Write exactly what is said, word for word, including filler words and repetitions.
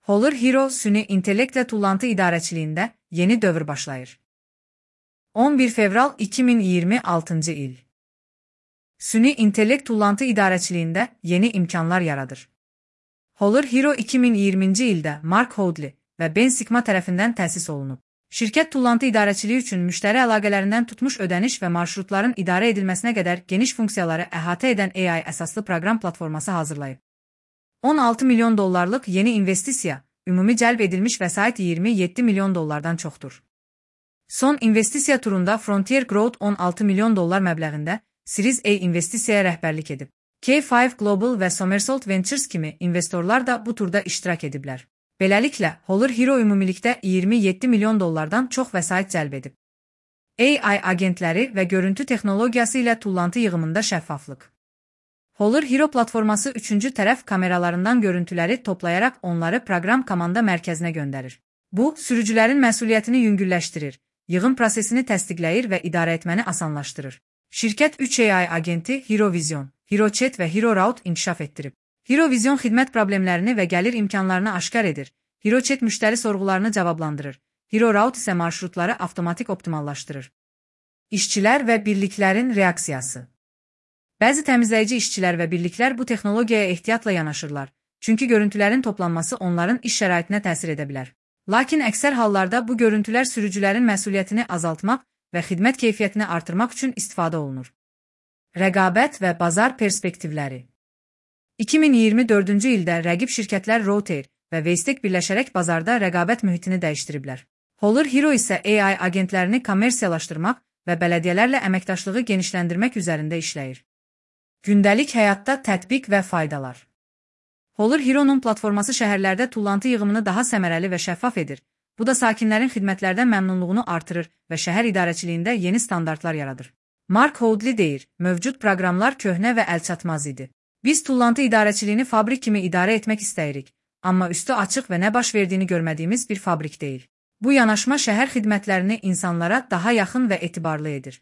Holler Hero Süni İntellektle Tullantı İdarəçiliyində yeni dövr başlayır. on bir fevral iki min iyirmi altıncı il. Süni İntellekt Tullantı İdarəçiliyində yeni imkanlar yaradır. Holler Hero iki min iyirminci ildə Mark Houdley və Ben Sigma tərəfindən təsis olunub. Şirkət tullantı idarəçiliyi üçün müştəri əlaqələrindən tutmuş ödəniş və marşrutların idarə edilməsinə qədər geniş funksiyaları əhatə edən A I əsaslı proqram platforması hazırlayıb. on altı milyon dollarlıq yeni investisiya, ümumi cəlb edilmiş vəsait iyirmi yeddi milyon dollardan çoxdur. Son investisiya turunda Frontier Growth on altı milyon dollar məbləğində Series A investisiyaya rəhbərlik edib. K beş Global və Somersault Ventures kimi investorlar da bu turda iştirak ediblər. Beləliklə, Holler Hero ümumilikdə iyirmi yeddi milyon dollardan çox vəsait cəlb edib. A I agentləri və görüntü texnologiyası ilə tullantı yığımında şəffaflıq. Holler Hero platforması üçüncü tərəf kameralarından görüntüləri toplayaraq onları proqram komanda mərkəzinə göndərir. Bu, sürücülərin məsuliyyətini yüngülləşdirir, yığım prosesini təsdiqləyir və idarə etməni asanlaşdırır. Şirkət üç A I agenti Hero Vision, Hero Chat və Hero Route inkişaf etdirib. Hero Vision xidmət problemlərini və gəlir imkanlarını aşkar edir. Hero Chat müştəri sorğularını cavablandırır. Hero Route isə marşrutları avtomatik optimallaşdırır. İşçilər və birliklərin reaksiyası. Bəzi təmizləyici işçilər və birliklər bu texnologiyaya ehtiyatla yanaşırlar, çünki görüntülərin toplanması onların iş şəraitinə təsir edə bilər. Lakin əksər hallarda bu görüntülər sürücülərin məsuliyyətini azaltmaq və xidmət keyfiyyətini artırmaq üçün istifadə olunur. Rəqabət və bazar perspektivləri. iki min iyirmi dördüncü ildə rəqib şirkətlər Routair və Waystek birləşərək bazarda rəqabət mühitini dəyişdiriblər. Holler Hero isə A I agentlərini kommersiyalaşdırmaq və bələdiyyələrlə əməkdaşlığı genişləndirmək üzərində işləyir. Gündəlik həyatda tətbiq və faydalar. Holler Hero'nun platforması şəhərlərdə tullantı yığımını daha səmərəli və şəffaf edir. Bu da sakinlərin xidmətlərdən məmnunluğunu artırır və şəhər idarəçiliyində yeni standartlar yaradır. Mark Houdley deyir, mövcud proqramlar köhnə və əlçatmaz idi. Biz tullantı idarəçiliyini fabrik kimi idarə etmək istəyirik, amma üstü açıq və nə baş verdiyini görmədiyimiz bir fabrik deyil. Bu yanaşma şəhər xidmətlərini insanlara daha yaxın və etibarlı edir.